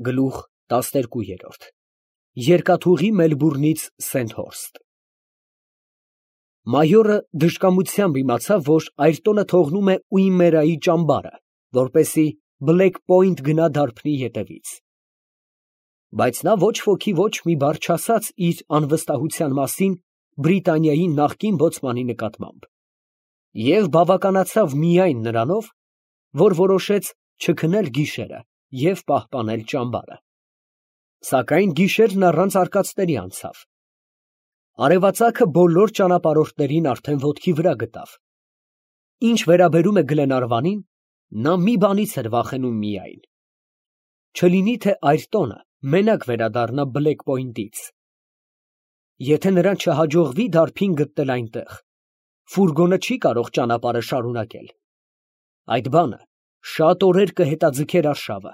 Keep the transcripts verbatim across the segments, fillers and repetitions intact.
Գլուխ տասներկու։ Երկաթուղի Մելբուրնից Սենթհորսթ։ Մայորը դժկամությամբ իմացավ, որ Այրտոնը թողնում է Ուիմերայի ճամբարը, որպեսզի Բլեք Պոինտ գնա դարբնի ետևից։ Բայց նա ոչ ոքի ոչ մի բառ չասաց իր անվստահության մասին Բրիտանիայի նախկին բոցմանի նկատմամբ, և բավականացավ միայն նրանով, որ որոշեց չքնել գիշերը և պահպանել ճամբարը։ Սակայն գիշերն առանց արկածների անցավ։ Արևածագը բոլոր ճանապարհորդներին արդեն ոտքի վրա գտավ։ Ինչ վերաբերում է Գլենարվանին, նա մի բանից էր վախենում միայն. չլինի թե Այրտոնը մենակ վերադառնա Բլեք Պոինտից։ Եթե նրան չհաջողվի դարբին գտնել այնտեղ, ֆուրգոնը չի կարող ճանապարհը շարունակել։ Այդ բանը շատ օրեր կհետաձգեր արշավը,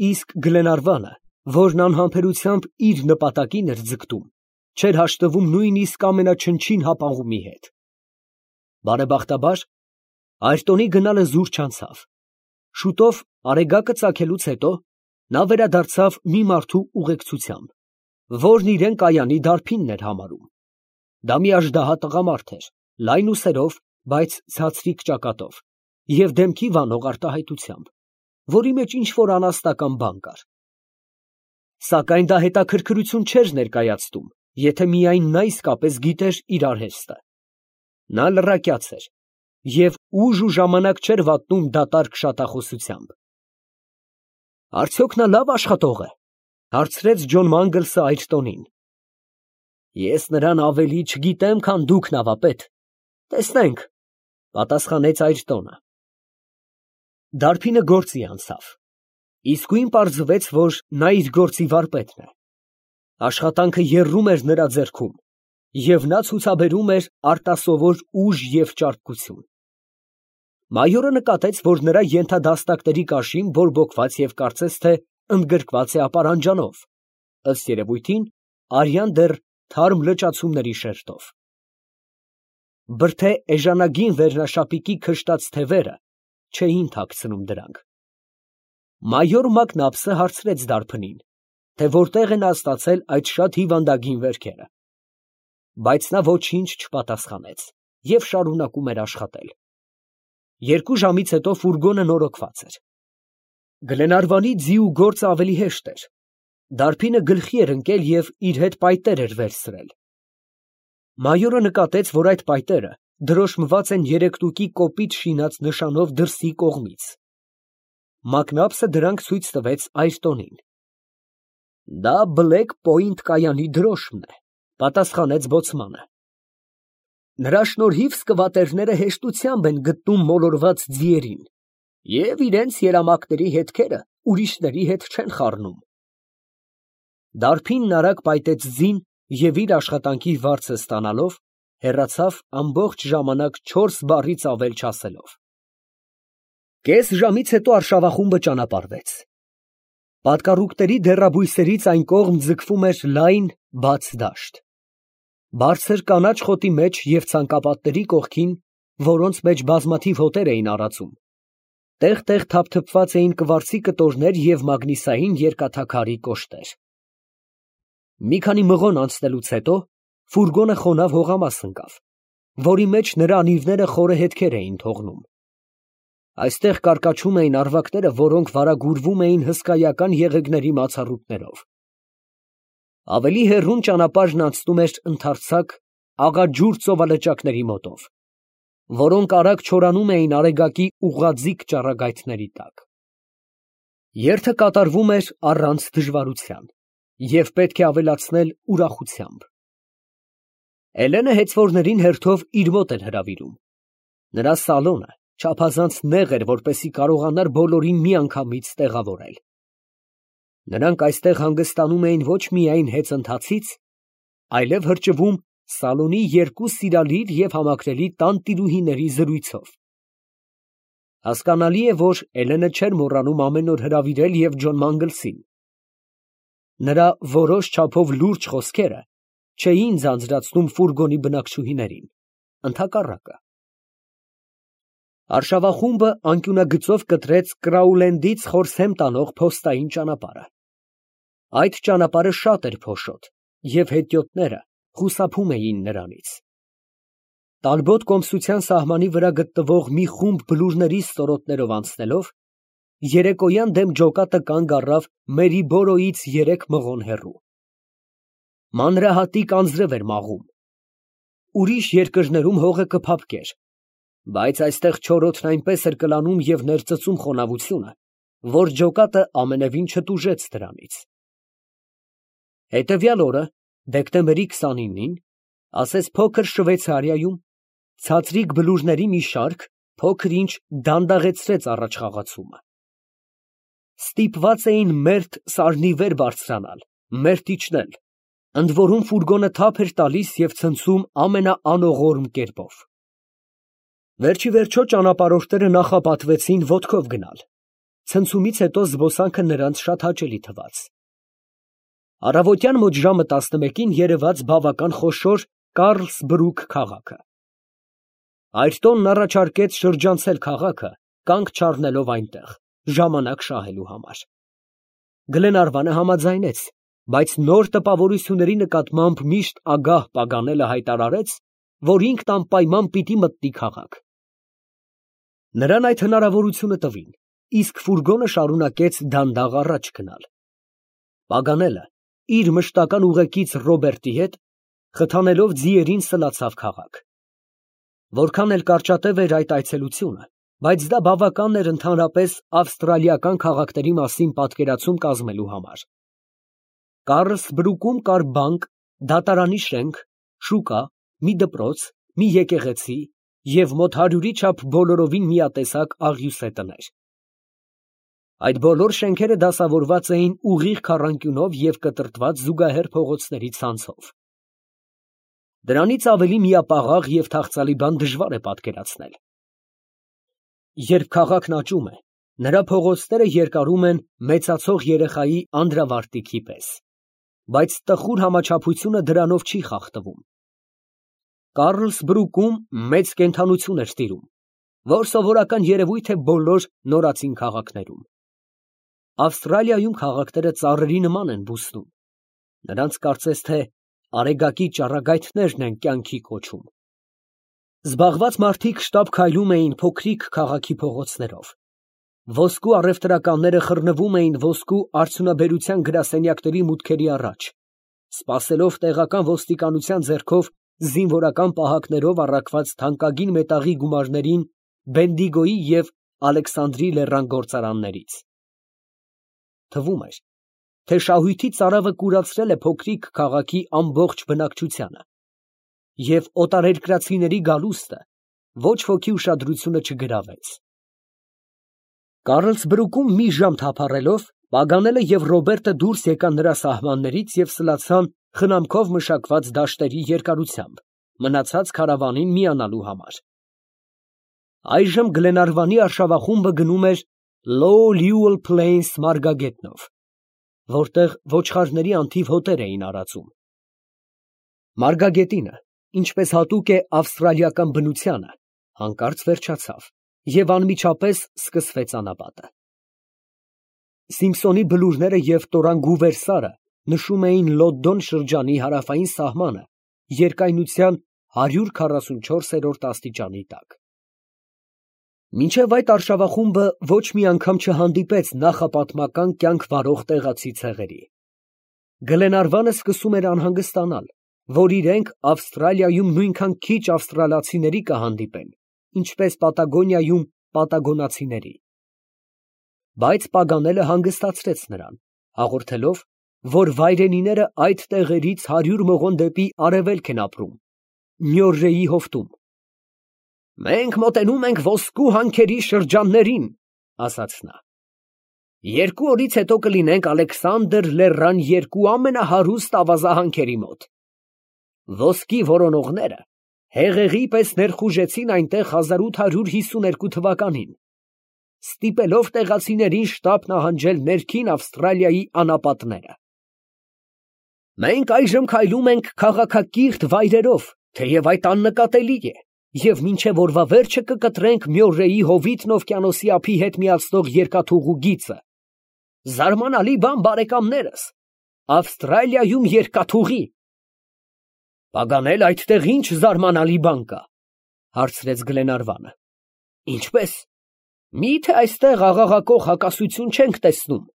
իսկ Գլենարվանը, որն անհամբերությամբ իր նպատակին էր ձգտում, չէր հաշտվում նույնիսկ ամենաչնչին հապաղումի հետ։ Բարեբախտաբար, Այրտոնի գնալը զուր չանցավ։ Շուտով արեգակը ծագելուց հետո նա վերադարձավ մի մարդու ուղեկցությամբ, որն իրան կայանի դարբինն էր համարում։ Դա մի աժդահա տղամարդ էր, լայն ուսերով, բայց ցածրիկ ճակատով և դեմքի վանող արտահայտությամբ, որի մեջ ինչ֊որ անասնական բան կար։ Սակայն դա հետաքրքրություն չէր ներկայացնում, եթե միայն նա իսկապես գիտեր իր արհեստը։ Նա լռակյաց էր և ուժ ու ժամանակ չէր վատնում դատարկ շատախոսությամբ։ ֊ Արդյոք նա լավ աշխատող է, ֊ հարցրեց Ջոն Մանգլսը Այրտոնին։ ֊ Ես նրան ավելի չգիտեմ, քան դուք, նավապետ, տեսնենք, ֊ պատասխանեց Այրտոնը։ Դարբինը գործի անցավ։ Իսկույն պարզվեց, որ նա իր գործի վարպետն է։ Աշխատանքը եռում էր նրա ձեռքում, և նա ցուցաբերում էր արտասովոր ուժ և ճարպկություն։ Մայորը նկատեց, որ նրա ենթադաստակների կաշին բորբոքված և կարծես թե ընդգրկված է ապարանջանով, ըստ երևույթին, արյան դեռ թարմ լճացումների շերտով։ Բրդե էժանագին վերնաշապիկի քշտած թևերը չէին թաքցնում դրանք։ Մայոր Մակնաբսը հարցրեց դարբնին, թե որտեղ է նա ստացել այդ շատ հիվանդագին վերքերը, բայց նա ոչինչ չպատասխանեց և շարունակում էր աշխատել։ Երկու ժամից հետո ֆուրգոնը նորոգված էր։ Գլենարվանի ձի ու գործը ավելի հեշտ էր։ Դարբինը գլխի էր ընկել և իր հետ պայտեր էր վերցրել։ Մայորը նկատեց, որ այդ պայտերը դրոշմված են երեք տուկի կոպիտ շինած նշանով դրսի կողմից։ Մակնաբսը դրանք ցույց տվեց Այրտոնին։ ֊ Դա Բլեք Պոինտ կայանի դրոշմն է, ֊ պատասխանեց բոցմանը։ Նրա շնորհիվ սկվատերները հեշտությամբ են գտնում մոլորված ձիերին և իրենց երամակների հետքերը ուրիշների հետ չեն խառնում։ Դարբինն արագ պայտեց ձին և իր աշխատանքի վարձը ստանալով, հեռացավ ամբողջ ժամանակ չորս բառից ավել չասելով։ Կես ժամից հետո արշավախումբը ճանապարհվեց։ Պատկառուկների դեռաբույսերից այն կողմ ձգվում էր լայն, բաց դաշտ։ Բարձր կանաչ խոտի մեջ և ցանկապատների կողքին, որոնց մեջ բազմաթիվ հոտեր էին առաջում, տեղ֊տեղ թափթփված էին կվարձի կտորներ և մագնիսային երկաթաքարի կոշտեր։ Մի քանի մղոն անցնելուց հետո ֆուրգոնը խոնավ հողամաս ընկավ, որի մեջ նրա անիվները խորը հետքեր էին թողնում։ Այստեղ կարկաչում էին առվակները, որոնք վարագուրվում էին հսկայական եղեգների մացառուտներով։ Ավելի հեռուն ճանապարհն անցնում էր ընդարձակ, աղաջուր ծովալճակների մոտով, որոնք արագ չորանում էին արեգակի ուղղաձիգ ճառագայթների տակ։ Երթը կատարվում էր առանց դժվարության և պետք է ավելացնել ուրախությամբ։ Էլենը հեծվորներին հերթով իր մոտ էր հրավիրում։ Նրա սալոնը չափազանց նեղ էր, որպեսզի կարողանար բոլորին միանգամից տեղավորել։ Նրանք այստեղ հանգստանում էին ոչ միայն հեծընթացից, այլև հրճվում սալոնի երկու սիրալիր և համակրելի տանտիրուհիների զրույցով։ Հասկանալի է, որ Էլենը չէր մոռանում ամեն օր հրավիրել և Ջոն Մանգլսին։ Նրա որոշ չափով լուրջ խոսքերը չէին ձանձրացնում ֆուրգոնի բնակչուհիներին, ընդհակառակը։ Արշավախումբը անկյունագծով կտրեց Կրաուլենդից Խորսհեմ տանող փոստային ճանապարհը։ Այդ ճանապարհը շատ էր փոշոտ, և հետիոտները խուսափում էին նրանից։ Տալբոտ կոմսության սահմանի վրա գտնվող մի խումբ բլուրների ստորոտներով անցնելով, երեկոյան դեմ ջոկատը կանգ առավ Մերիբորոյից երեք մղոն հեռու։ Մանրահատիկ անձրև էր մաղում։ Ուրիշ երկրներում հողը կփափկեր, բայց այստեղ չորրոտն այնպես էր կլանում և ներծծում խոնավությունը, որ ջոկատը ամենևին չտուժեց դրանից։ Հետևյալ օրը, դեկտեմբերի քսանինին, ասես փոքր Շվեյցարիայում, ցածրիկ բլուրների մի շարք փոքր-ինչ դանդաղեցրեց առաջխաղացումը։ Ստիպված էին մերթ սարնի վեր բարձրանալ, մերթ իջնել, ընդ որում ֆուրգոնը թափ էր տալիս և ցնցում ամենաանողորմ կերպով։ Վերջիվերջո ճանապարհորդները նախապատվեցին ոտքով գնալ, ցնցումից հետո զբոսանքը նրանց շատ հաճելի թվաց։ Առավոտյան մոտ ժամը տասնմեկին երևաց բավական խոշոր Կարլսբրուք քաղաքը։ Այրտոնն առաջարկեց շրջանցել քաղաքը, կանգ չառնելով այնտեղ, ժամանակ շահելու համար։ Գլենարվանը համաձայնեց, բայց նոր տպավորությունների նկատմամբ միշտ ագահ Պագանելը հայտարարեց, որ ինքն անպայման պիտի մտնի քաղաք։ Նրան այդ հնարավորությունը տվին, իսկ ֆուրգոնը շարունակեց դանդաղ առաջ գնալ։ Պագանելը իր մշտական ուղեկից Ռոբերտի հետ, խթանելով ձիերին, սլացավ քաղաք։ Որքան էլ կարճատև էր այդ այցելությունը, բայց դա բավական էր ընդհանրապես ավստրալիական քաղաքների մասին պատկերացում կազմելու համար։ Կարլսբրուկում կար բանկ, դատարանի շենք, շուկա, մի դպրոց, մի եկեղեցի և մոտ հարյուրի չափ բոլորովին միատեսակ աղյուսե տներ։ Այդ բոլոր շենքերը դասավորված էին ուղիղ քառանկյունով և կտրտված զուգահեռ փողոցների ցանցով։ Դրանից ավելի միապաղաղ և թախծալի բան դժվար է պատկերացնել։ Երբ քաղաքն աճում է, նրա փողոցները երկարում են մեծացող երեխայի անդրավարտիքի պես, բայց տխուր համաչափությունը դրանով չի խախտվում։ Կարլսբրուկում մեծ կենդանություն էր տիրում, որ սովորական երևույթ է բոլոր նորածին քաղաքներում։ Ավստրալիայում քաղաքները ծառերի նման են բուսնում, նրանց կարծես թե արեգակի ճառագայթներն են կյանքի կոչում։ Զբաղված մարդիկ շտապ քայլում էին փոքրիկ քաղաքի փողոցներով։ Ոսկու առևտրականները խռնվում էին ոսկու արդյունաբերության գրասենյակների մուտքերի առաջ, սպասելով տեղական ոստիկանության ձեռքով զինվորական պահակներով առաքված թանկագին մետաղի գումարներին Բենդիգոյի և Ալեքսանդրի լեռան գործարաններից։ Թվում էր, թե շահույթի ծարավը կուրացրել է փոքրիկ քաղաքի ամբողջ բնակչությանը, և օտարերկրացիների գալուստը ոչ ոքի ուշադրությունը չգրավեց։ Կարլսբրուկում մի ժամ թափառելով, Պագանելը և Ռոբերտը դուրս եկան նրա սահմաններից և սլացան խնամքով մշակված դաշտերի երկարությամբ, մնացած քարավանին միանալու համար։ Այժմ Գլենարվանի արշավախումբը գնում էր Low Lewel Plains մարգագետնով, որտեղ ոչխարների անթիվ հոտեր էին արածում։ Մարգագետինը, ինչպես հատուկ է ավստրալիական բնությանը, հանկարծ վերջացավ, և անմիջապես սկսվեց անապատը։ Սիմփսոնի բլուրները և Տորանգուվեր սարը նշում էին Լոդդոն շրջանի հարավային սահմանը երկայնության հարյուր քառասունչորսերորդ աստիճանի տակ։ Մինչև այդ արշավախումբը ոչ մի անգամ չհանդիպեց նախապատմական կյանք վարող տեղացի ցեղերի։ Գլենարվանը սկսում էր անհանգստանալ, որ իրենք Ավստրալիայում նույնքան քիչ ավստրալացիների կհանդիպեն, ինչպես Պատագոնիայում պատագոնացիների։ Բայց Պագանելը հանգստացրեց նրան, հաղորդելով, որ վայրենիները այդ տեղերից հարյուր մղոն դեպի արևելք են ապրում, Մյորրեի հովտում։ «Մենք մոտենում ենք ոսկու հանքերի շրջաններին, ֊ ասաց նա. ֊ երկու օրից հետո կլինենք Ալեքսանդր լեռան երկու ամենահարուստ ավազահանքերի մոտ։ Ոսկի որոնողները հեղեղի պես ներխուժեցին այնտեղ հազար ութ հարյուր հիսուներկու թվականին, ստիպելով տեղացիներին շտապ նահանջել ներքին Ավստրալիայի անապատները։ Մենք այժմ քայլում ենք քաղաքակիրթ վայրերով, թեև այդ աննկատելի է, և մինչև օրվա վերջը կկտրենք Մյորրեի հովիտն օվկիանոսի ափի հետ միացնող երկաթուղու գիծը։ Զարմանալի բան, բարեկամներս, Ավստրալիայում երկաթուղի։ Պագանել, այդտեղ ինչ զարմանալի բան կա, հարցրեց Գլենարվանը։ Ինչպես։ Մի՞թե այստեղ աղաղակող հակասություն չենք տեսնում։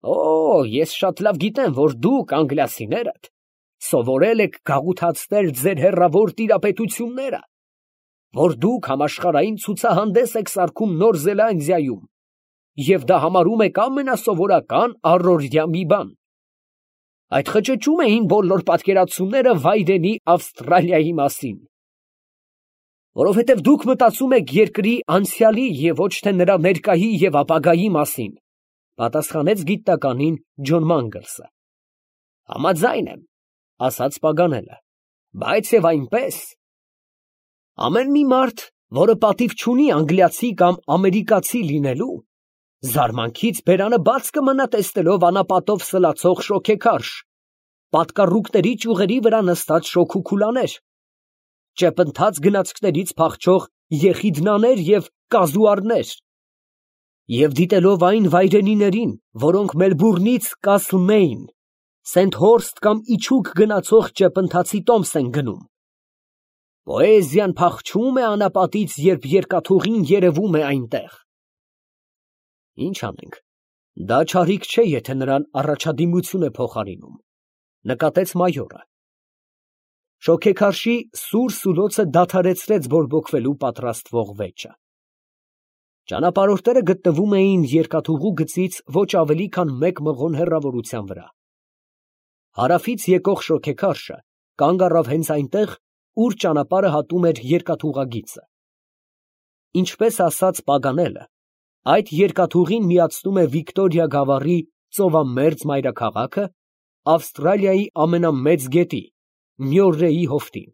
Օ, ես շատ լավ գիտեմ, որ դուք անգլիացիներդ սովորել եք գաղութացնել ձեր հեռավոր տիրապետությունները, որ դուք համաշխարհային ցուցահանդես եք սարքում Նոր Զելանդիայում, և դա համարում եք ամենասովորական առօրյա մի բան։ Այդ խճճում էին բոլոր պատկերացումները վայրենի Ավստրալիայի մասին։ Որովհետև դուք մտածում եք երկրի անցյալի և ոչ թե նրա ներկայի և ապագայի մասին, պատասխանեց գիտնականին Ջոն Մանգլսը։ Համաձայն եմ, ասաց Պագանելը, բայց և այնպես։ Ամեն մի մարդ, որը պատիվ չունի անգլիացի կամ ամերիկացի լինելու, զարմանքից բերանը բաց կմնա տեսնելով անապատով սլացող շոգեքարշ, պատկառուկների ճյուղերի վրա նստած շոգուքուլաներ, ճեպընթաց գնացքներից փախչող եղիդնաներ և կազուարներ, և դիտելով այն վայրենիներին, որոնք Մելբուրնից Կասլմեյն, Սենթ Հորսթ կամ իջուք գնացող ճեպընթացի տոմս են գնում։ Պոեզիան փախչում է անապատից, երբ երկաթուղին երևում է այնտեղ։ Ինչ անենք, դա չարիք չէ, եթե նրան առաջադիմություն է փոխարինում, նկատեց մայորը։ Շոգեքարշի սուր սուլոցը դադարեցրեց բորբոքվելու պատրաստվող վեճը։ Ճանապարհորդները գտնվում էին երկաթուղու գծից ոչ ավելի քան մեկ մղոն հեռավորության վրա։ Հարավից եկող շոգեքարշը կանգ առավ հենց այնտեղ, ուր ճանապարհը հատում էր երկաթուղագիծը։ Ինչպես ասաց Պագանելը, այդ երկաթուղին միացնում է Վիկտորիա գավառի ծովամերձ մայրաքաղաքը Ավստրալիայի ամենամեծ գետի՝ Մյորրեի հովտին։